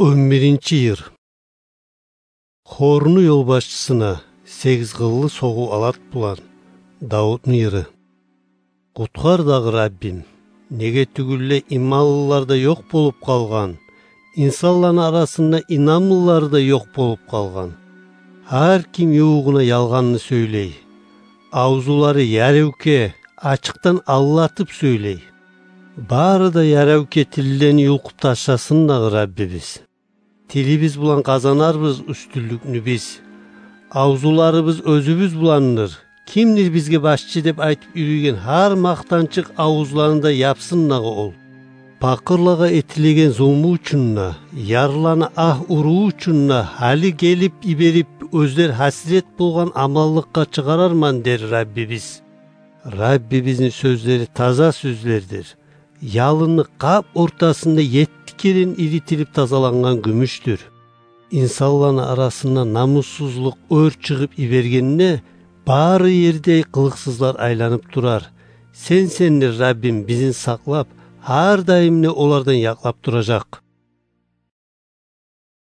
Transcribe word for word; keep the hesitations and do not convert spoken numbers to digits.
Он биринчи йыр. Хорну ёлбашчысына сегиз къыллы согъу алат булан. Давутну йыры. Къутгъар дагъы, Раббим, неге тюгюл де иманлылар да ёкъ болуп къалгъан, инсанланы арасында инамлылар да ёкъ болуп къалгъан. Гьар ким ювугъуна ялгъанны сёйлей. Авзулары яревке, ачыкъдан алдатып сёйлей. Бары да яревке тиллени юлкъуп ташласын дагъы, Раббибиз. Тилибиз булан къазанарбыз уьстюнлюкню биз. Авзуларыбыз оьзюбюз буландыр. Кимдир бизге башчы деп айтып юрюйген гьар макътанчыкъ авузланы да япсын дагъы ол. Пакъырлагъа этилеген зулму учун да, ярлыланы агь уруу учун да гьали гелип йиберип, оьзлер гьасирет болгъан аманлыкъгъа чыгъарарман дер Раббибиз. Раббибизни сёзлери таза сёзлердир. Ялынны къап ортасында етти керен иритилип тазалангъан гюмюшдюр. Инсанланы арасында намуссузлукъ оьр чыгъып йибергенде, бары ерде къылыкъсызлар айланып турар. Сенсендир, Раббим, бизин сакълап, гьар дайым да олардан якълап туражакъ.